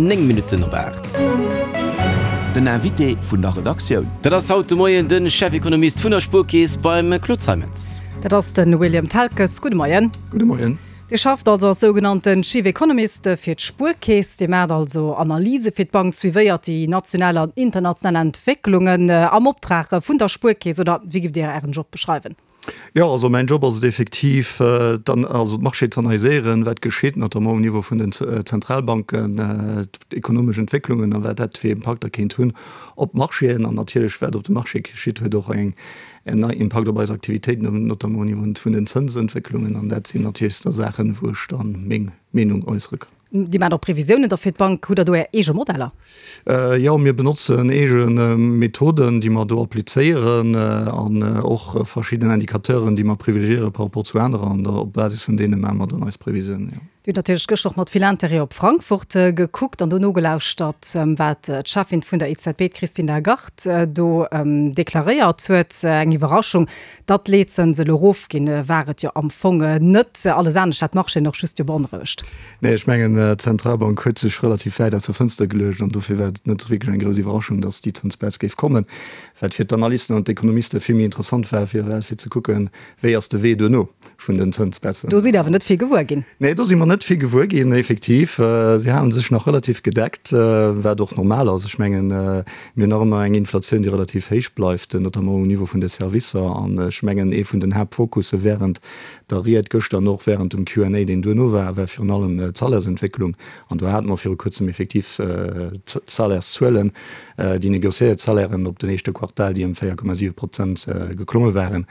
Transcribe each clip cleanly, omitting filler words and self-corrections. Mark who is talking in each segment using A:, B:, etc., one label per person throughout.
A: 9 Minutten op 8.
B: Den Invité vun der Redaktioun.
A: Dat ass haut de Moien de Chefekonomist vun der Spuerkeess beim Claude Zeimetz.
C: Dat ass de William Telkes. Gudde Moien.
D: Gudde Moien.
C: Dir schafft also als sougenannten Chief Economist fir d'Spuerkeess. Dir maacht also Analyse fir d'Bank, suivéiert déi national an international Entwécklungen am Optrag vun der Spuerkeess, oder wéi giff Dir Ären Job beschreiwen?
D: Jo, also mäin Job ass et effektiv, also d'Marchéë z'analyséieren, wat geschitt, notamment um Niveau vun den Zentralbanken, d'ekonomesch Entwécklungen a wat dat fir Impakter kéint hunn op d'Marchéen. An natierlech, wat op de Marché geschitt, huet och eng en Impakt op eis Aktivitéiten, notamment au Niveau vun den Zënsentwécklungen. An dat sinn natierlech da Saachen, wou ech da meng Meenung äussere kann.
C: Dir maacht och Previsiounen da fir d'Bank. Hutt Der do Är eege Modeller?
D: Jo, mir benotzen eege Methoden, déi mer do applizéieren an och verschidden Indicateuren, déi mer privilegiéiere par rapport zu anerer. An op Basis vun deene maache mer dann eis Previsiounen, jo.
C: Dir hutt natierlech gëschter och mat vill Interêt op Frankfurt gekuckt an do nogelauschtert, wat d'Cheffin vun der EZB, d'Christine Lagarde, do deklaréiert huet. Eng Iwwerraschung, datt d'Leetzënse elo erofginn, war et jo am Fong net. Alles anescht hat d'Marchéen och just jo beonrouegt.
D: Nee, ech mengen, d'Zentralbank huet sech relativ wäit aus der Fënster geluecht an dofir war et net wierklech eng grouss Iwwerraschung, datt déi Zënsbaisse géif kommen. Wat fir d'Analysten an d'Ekonomiste vill méi interessant war, war fir ze kucken, Wéi ass de Wee duerno vun den Zënsbaissen?
C: Do sidd Der awer net vill gewuer ginn.
D: Nee, do si mer net vill gewuer ginn, effektiv. Si hale sech nach relativ gedeckt, wat och normal ass. Ech mengen, mir hunn nach ëmmer eng Inflatioun, déi relativ héich bleift, notamment um Niveau vun de Servicer. An ech mengen, ee vun den Haaptfokusse wärend der Ried gëschter an och wärend dem Q&A, deen duerno war, war virun allem d'Salairsentwécklung. An do hate mer viru kuerzem effektiv d'Salairszuelen, déi negociéiert Salairen op den éischte Quartal, déi ëm 4,7 Prozent geklomme waren.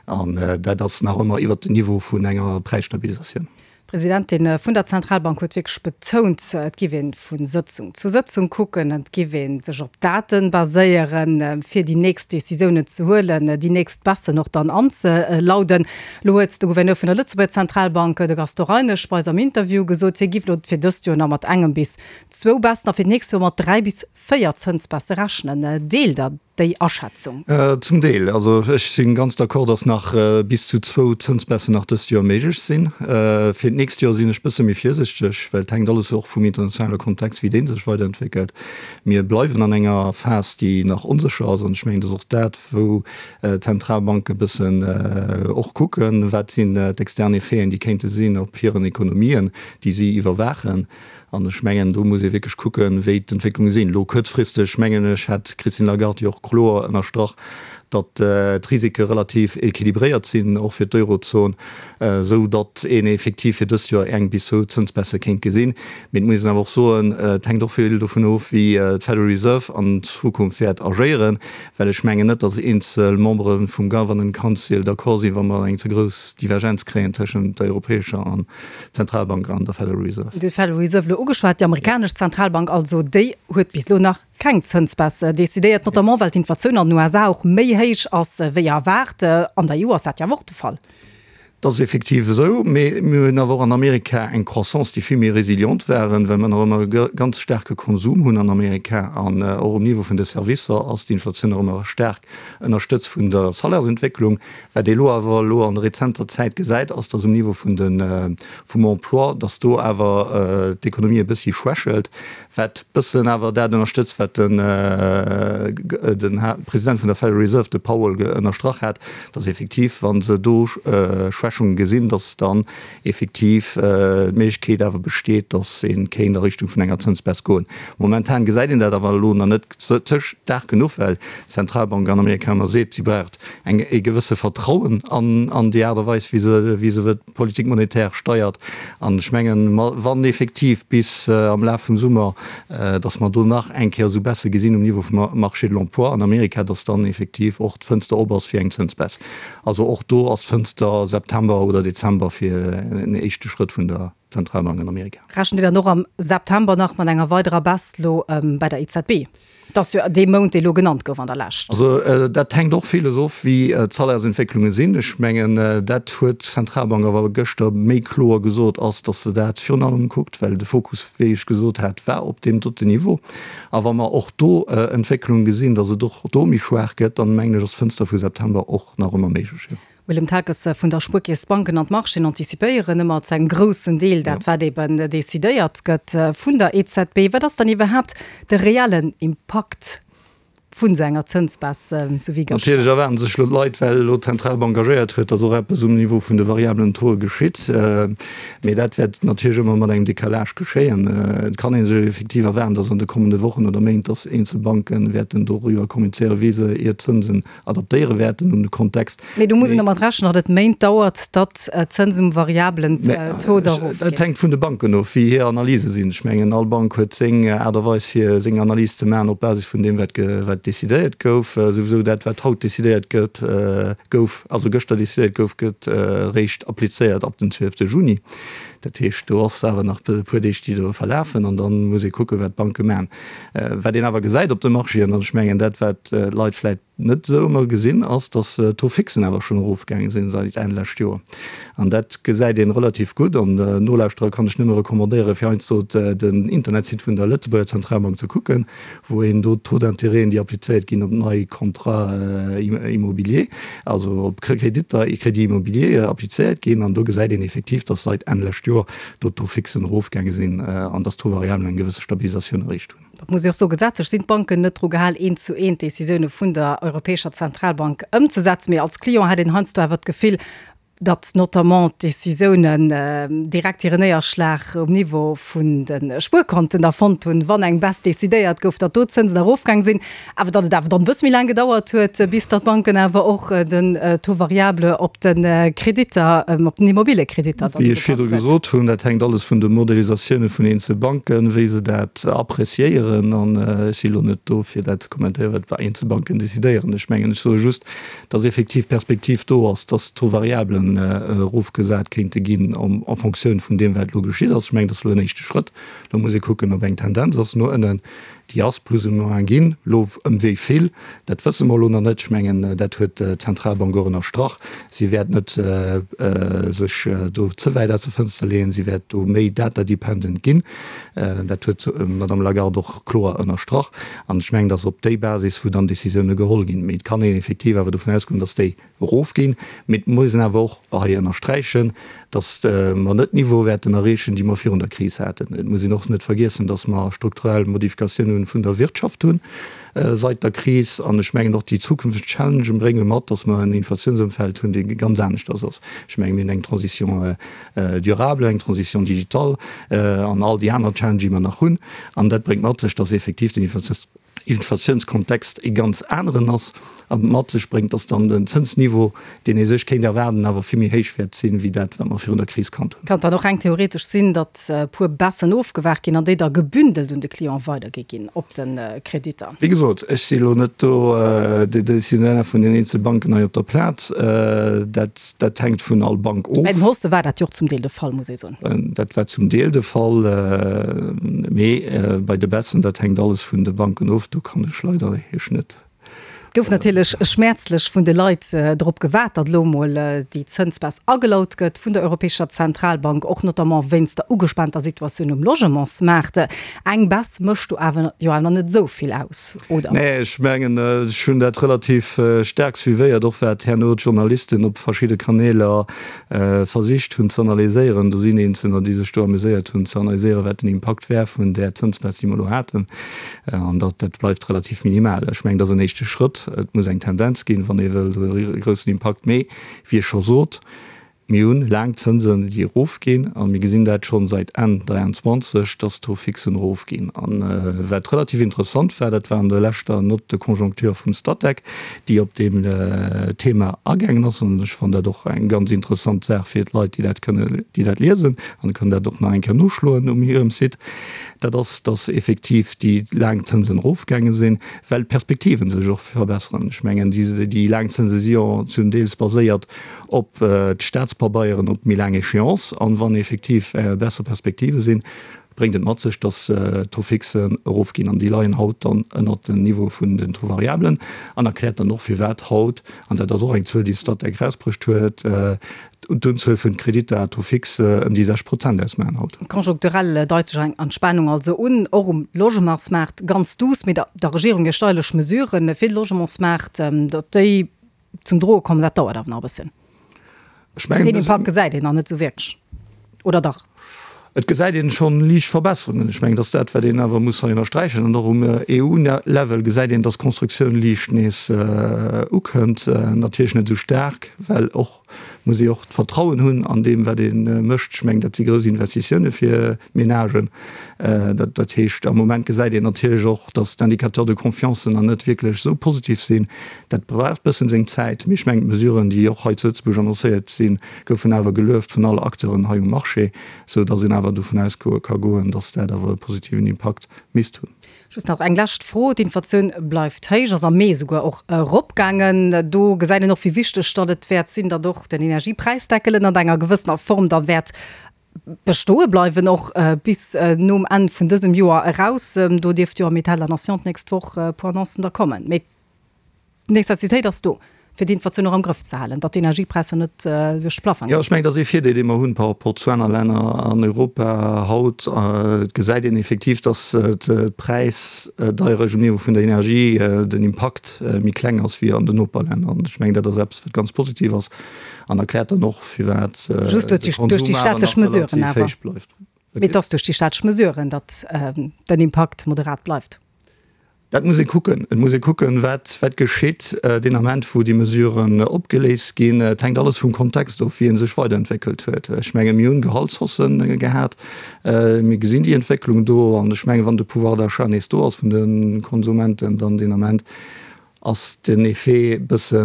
D: An dat ass nach ëmmer iwwert den Niveau vun enger Präisstabilisatioun.
C: D'Presidentin vun der Zentralbank huet wierklech betount, et giff ee vu Sëtzung zu Sëtzung kucken, et giff ee sech op Daten baséieren, fir déi nächst Decisiounen ze huelen, déi nächst Baissen och dann anzelauden. Elo huet de Gouverneur vun der Lëtzebuerger Zentralbank, de Gaston Reinesch, bei eis am Interview gesot, hie giff elo fir dëst Joer nach mat engem bis zwou Baissen a fir d'nächst Joer mat 3 bis 4 Zënsbaisse rechnen. Deelt Der déi Aschätzung?
D: Zum Deel. Also ech si ganz d'accord, datt nach bis zu zwou Zënsbaissen nach dëst Joer méiglech sinn. Fir d'nächst Joer sinn ech bësse méi virsichteg, well et hänkt alles och vum internationale Kontext, wéi dee sech weiderentwéckelt. Mir bleiwen an enger Phas, déi nach onsécher ass, an ech mengen, et ass och dat, wou d'Zentralbanke bëssen och kucken, wat sinn d'extern Effeten, déi kéinte sinn op hiren Ekonomien, déi si iwwerwaachen. An ech mengen, do muss ee wierklech kucken, wéi d'Entwécklunge sinn. Elo kuerzfristeg, mengen ech, hat d'Christine Lagarde jo och kloer ënnerstrach, datt d'Risike relativ équilibréiert sinn, och fir d'Eurozon, esou datt een effektiv fir dëst Joer eng bis zwou Zënsbaisse kéint gesinn. Mee et muss een awer och soen, et hänkt och vill dovun of, wéi d'Federal Reserve an Zukunft wäert agéieren, well ech mengen net, datt eenzel Membere vum Government Council d'accord sinn, wa mer eng ze grouss Divergenz kréien tëschent der europäescher an Zentralbank an der Federal Reserve.
C: Dir hutt d'Federal Reserve elo ugeschwat, déi amerikanesch Zentralbank also, déi huet bis elo nach keng Zënsbaisse decidéiert, notamment well d'Inflatioun an den USA och méi héich ass wéi erwaart. An der EU ass dat jo awer och de Fall.
D: Dat ass effektiv esou, mee mir hunn awer och an Amerika eng Croissance, déi vill méi résiliente waren, well mer nach ëmmer e ganz staarke Konsum hunn an Amerika an och um Niveau vun de Servicer ass d'Inflatioun nach ëmmer staark ënnerstëtzt vun der Salairsentwécklung. Wat ee elo awer elo an rezenter Zäit gesäit, ass, dass um Niveau vun de vum Emploi, dass do awer d'Ekonomie e bëssi schwächelt, wat bëssen awer dat ënnerstëtzt, wat den den President vun der Federal Reserve, de Powell, ënnerstrach hat, dass effektiv, wa se do Schwächunge gesinn, dass dann effektiv d'Méiglechkeet awer besteet, dass ee kéint a Richtung vun enger Zënsbaisse goen. Momentan gesäit een dat awer elo nach net ze staark genuch, well d'Zentralbank an Amerika ëmmer seet, si braucht eng e gewësse Vertrauen an an déi Aart a Weis, wéi se wéi se d'Politique monétaire steiert. An ech mengen, wann effektiv bis am Laf vum Summer, dass mer do nach eng Kéier esou Baisse gesinn um Niveau vum Marché de l'emploi an Amerika, dass dann effektiv och d'Fënster op ass fir eng Zënsbaisse. Also och do ass d'Fënster September oder Dezember fir en éischte Schrëtt vun der Zentralbank an Amerika.
C: Rechent Dir dann och am September nach mat enger weiderer Baisse lo bei der EZB? Et ass jo dee Mount, dee lo genannt gouf an der Lescht.
D: Also dat hänkt och villes of, wéi d'Salairsentwécklunge sinn. Ech mengen, dat huet d'Zentralbank awer gëschter méi kloer gesot, ass, datt se dat virun allem kuckt, well de Fokus, wéi ech gesot hat, war op deem doten Niveau. A wa mer och do Entwécklunge gesinn, datt et och do méi schwaach gëtt, dann mengen ech, ass d'Fënster vu September och nach ëmmer méiglech, jo.
C: Willem Tages vun der Spuerkeess, D'Banken an d'Marchéen antizipéieren ëmmer zu engem groussen Deel dat, wat eben decidéiert gëtt vun der EZB. Wat ass dann iwwerhaapt de reellen Impakt vun esou enger Zënsbaisse, sou wéi gëschter?
D: Natierlech erwaarden sech elo d'Leit, well elo d'Zentralbank agéiert huet, datt och eppes um Niveau vun de variablen Tauxe geschitt. Mee dat wäert natierlech ëmmer mat engem Décalage geschéien. Et kann ee sech effektiv erwaarden, datt an de kommende Wochen oder Méint, datt eenzel Banke wäerten doriwwer kommunizéieren, wéi se hir Zënsen adaptéiere wäerten un de Kontext.
C: Mee do muss een domat rechnen, datt et Méint dauert, datt d'Zënsen um variabelen Taux da erofginn.
D: Dat hänkt vun de Banken of, wéi hir Analyse sinn. Ech mengen, all Bank huet seng Aart a Weis, fir seng Analys ze maachen op Basis vun deem, wat wat decidéiert gouf. Souwisou dat, wat haut decidéiert gëtt, gouf, also gëschter decidéiert gouf, gëtt eréischt applizéiert ab den 12 Juni. Dat heescht, do ass awer nach e puer Deeg, déi do verlafen, an da muss ee kucken, wat d'Banke maachen. Wat een awer gesäit op de Marchéen, an ech mengen dat, wat d'Leit vläicht net esou ëmmer gesinn, ass, datt d'Taux fixen awer schonn erofgaange sinn säit Enn lescht Joer. An dat gesäit een relativ gutt. An Nolauschterer kann ech nëmme recommandéieren, fir heiansdo den Internetsite vun der Lëtzebuerger Zentralbank ze kucken, wou een do d'Taux d'intérêten, déi applizéiert ginn op nei Contrats immobiliers, also op Kreditter, Crédits immobiliers, applizéiert ginn. An do gesäit een effektiv, datt säit Enn lescht Joer do d'Taux fixen erofgaange sinn an datt d'Taux variablen eng gewësse Stabilisatioun erreecht hunn.
C: Dat muss ee och soen, gesetzlech sinn d'Banken net dru gehal, eent zu eent d'Decisioune vun der Europäescher Zentralbank ëmzesetzen. Mee als Client hätt een heiansdo awer d'Gefill, datt notamment d'Décisiounen direkt hire Néierschlag um Niveau vun de Spuerkonten da fonnt hunn, wann eng Baisse decidéiert gouf, datt do d'Zënsen erofgaang sinn, awer datt et awer dann e bësse méi laang gedauert huet, bis datt d'Banken awer och den Taux variable op de Kreditter, op den Immobiliekreditter
D: dann Wéi ech ugepasst virdru huet. gesot hunn, dat hänkt alles vun de Modelisatioune vun eenzel Banken, wéi se dat appreciéieren. An ech si lo net do, fir dat ze kommentéieren, wat eenzel Banken decidéieren. Ech mengen, ech soe just, dass effektiv d'Perspektiv do ass, dass d'Taux variablen erofgesat kéinte ginn en Fonctioun vun deem, wat elo geschitt ass. Ech mengen, dat ass elo en éischte Schrëtt. Elo muss ee kucken, ob eng Tendenz ass no ënnen. Déi ass plus ou moins ginn. Elo ëm wéi vill, dat wësse mer elo nach net. Ech mengen, dat huet d'Zentralbank och ënnerstrach. Si wäert net sech do ze wäit aus der Fënster leeën. Si wäert do méi data-dependent ginn. Dat huet d'Madame Lagarde och kloer ënnerstrach. An ech mengen, dass op déi Basis, wou dann Décisioune geholl ginn. Mee et kann een effektiv awer dovun ausgoen, dass déi erofginn. Mee et muss een awer och hei ënnersträichen, dass mer net d'Niveaue wäerten erreechen, déi mer virun der Kris haten. Et muss een och net vergiessen, dass mer strukturell Modifikatiounen vun der Wirtschaft hunn seit der Kris. An ech mengen och déi zukünfteg Challengen brénge mat, dass mer en Inflatiounsëmfeld hunn, dee ganz aneschters ass. Ech menge mir hunn eng Transition durable, eng Transition digitale an all déi aner Challengen, déi mer nach hunn. An dat bréngt mat sech, dass effektiv den Inflatiounskontext e ganz aneren ass an et mat sech bréngt, dass dann den Zënsniveau, deen ee sech kéint erwaarden, awer vill méi héich wäert sinn, wéi dat, wat mer virun der Kris kannt
C: hunn. Kann dann och reng theoretesch sinn, datt e puer Baissen ofgewaart ginn an déi da gebündelt un de Client weidergi ginn op de Kreditter.
D: Wéi gesot, ech si elo net do de Décisionnaire vun den eenzele Banken hei op der Plaz. Dat, dat hänkt vun all Bank of.
C: Bei den Haussë war dat jo och zum Deel de Fall, muss ee soen.
D: Dat war zum Deel de Fall, mee bei de Baissen, dat hänkt alles vun de Banken of, do kann ech leider Iech net.
C: Gouf natierlech schmäerzlech vun de Leit drop gewaart, datt elo emol déi Zënsbaisse agelaut gëtt vun der Europäescher Zentralbank, och notamment wéinst der ugespaanter Situatioun um Logementsmaart. Eng Baisse mécht do awer jo awer net esou vill aus, oder?
D: Nee, ech mengen, ech hunn dat relativ staark suivéiert, och wat herno d'Journalisten op verschidde Kaneeler versicht hunn ze analyséieren. Do sinn Eenzelner, déi sech do amuséiert hunn ze analyséieren, wat den Impakt wär vun där Zënsbaisse, déi mer elo haten. An dat, dat bleift relativ minimal. Ech mengen, dat ass en éischte Schrëtt. Et muss eng Tendenz ginn, wann ee wëll e groussen Impakt. Mee, wéi ech scho sot, mir hunn laang Zënsen, déi erofginn. A mir gesinn dat schonn säit Enn 23, dass d'Taux fixen erofginn. A wat relativ interessant war, dat war an der leschter Note de conjoncture vum Statec, déi op deem Thema agaangen ass. An ech fannen dat och eng ganz interessant Saach fir d'Leit, déi dat kënne, déi dat liesen an kënnen dat och nach eng Kéier noschloen um hirem Site. Dat ass, dass effektiv déi laang Zënsen erofgaange sinn, well d'Perspektiven sech och verbesseren. Ech mengen, déi laang Zënse si jo zum Deels baséiert op d'Staatspabeieren op méi laang Échéance. An wann effektiv besser Perspektive sinn, bréngt et mat sech, dass d'Taux fixen erofginn. An déi leien haut dann ënnert den Niveau vun den Taux variablen an erkläert dann och, firwat haut, an dat ass och eng Zuel, déi d'Statec erausbruecht huet, D'Unzuel vun Kreditter à taux fixe ëm déi 6 Prozent ausmaachen haut.
C: Konjunkturell deit sech eng Entspanung also un, och um Logementsmaart ganz duuss. Mee der Regierung hir steierlech Mesuren fir de Logementsmaart, datt déi zum Droe kommen, dat dauert awer nach e bësschen.
D: Ech mengen,
C: Deen Impakt gesäit een nach net esou wierklech, oder dach?
D: Et gesäit een schonn liicht Verbesserungen. Ech mengen, dat ass dat, wat een awer muss hei ënnersträichen. An och um EU-Level gesäit een, dass d'Constructioun liicht nees ukënnt. Natierlech net esou staark, well och muss ee och d'Vertrauen hunn an deem, wat ee mécht. Ech mengen, dat si grouss Investitioune fir d'Menagen. Dat heescht, am Moment gesäit een natierlech och, dass d'Indicateurs de confiance nach net wierklech esou positiv sinn. Dat brauch e bëssen seng Zäit, mee ech mengen, d'Mesuren, déi och hei zu Lëtzebuerg annoncéiert sinn, goufen awer gelueft vun alle Acteuren hei um Marché, esou dass een awer dovun ausgoe ka goen, dass dat awer e positiven Impakt misst hunn.
C: Just nach eng lescht Fro, D'Inflatioun bleift héich, ass am Mee souguer och eropgaangen. Do gesäit een och, wéi wichteg datt et wäert sinn, datt och den Energiepräisdeckel ënnert enger gewëssener Form da wäert bestoe bleiwen, och bis nom Enn vun dësem Joer eraus. Do dierft jo am État de la Nation d'nächst Woch e puer Annoncen da kommen. Mee d'Necessitéit ass do, fir d'Inflatioun och am Grëff ze halen, datt d'Energiepräisser net duerch de Plaffong
D: Jo, ech mengen, dat ass ee Virdeel, dee mer hunn par rapport zu aner Länner an Europa haut. Et gesäit een effektiv, datt d'Präisdeierecht um Niveau vun der Energie, den Impakt méi kleng ass wéi an den Noperlänner. An ech mengen, dat ass eppes, wat ganz positiv ass an erkläert dann och, firwat
C: Just
D: de
C: duerch déi
D: Konsum awer
C: staatlech
D: nach
C: Mesuren
D: relativ
C: awer.
D: héich bleift.
C: Mee et ass duerch déi staatlech Mesuren, datt den Impakt moderat bleift.
D: Dat muss ee kucken. Et muss ee kucken, wat, wat geschitt deen Ament, wou déi Mesuren opgeléist ginn. Et hänkt alles vum Kontext of, wéi e sech weiderentwéckelt huet. Ech menge mir hunn Gehaltshaussë gehat. Mir gesinn déi Entwécklung do. An ech menge wann de Pouvoir d'achat nees do ass vun de Konsumenten, dann deen Ament ass den Effet bësse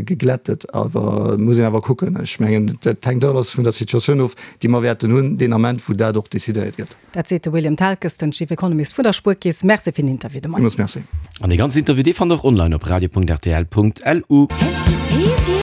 D: geglättet. Awer et muss een awer kucken. Ech mengen, dat hänkt alles vun der Situatioun of, déi mer wäerten hunn deen Ament, wou dat och decidéiert gëtt.
C: Dat seet de William Telkes, den Chief Economist vun der Spuerkeess. Merci fir den Interview de Moien.
D: Villmools Merci.
A: An dee ganzen Interview, dee fannt der och online op radio.rtl.lu.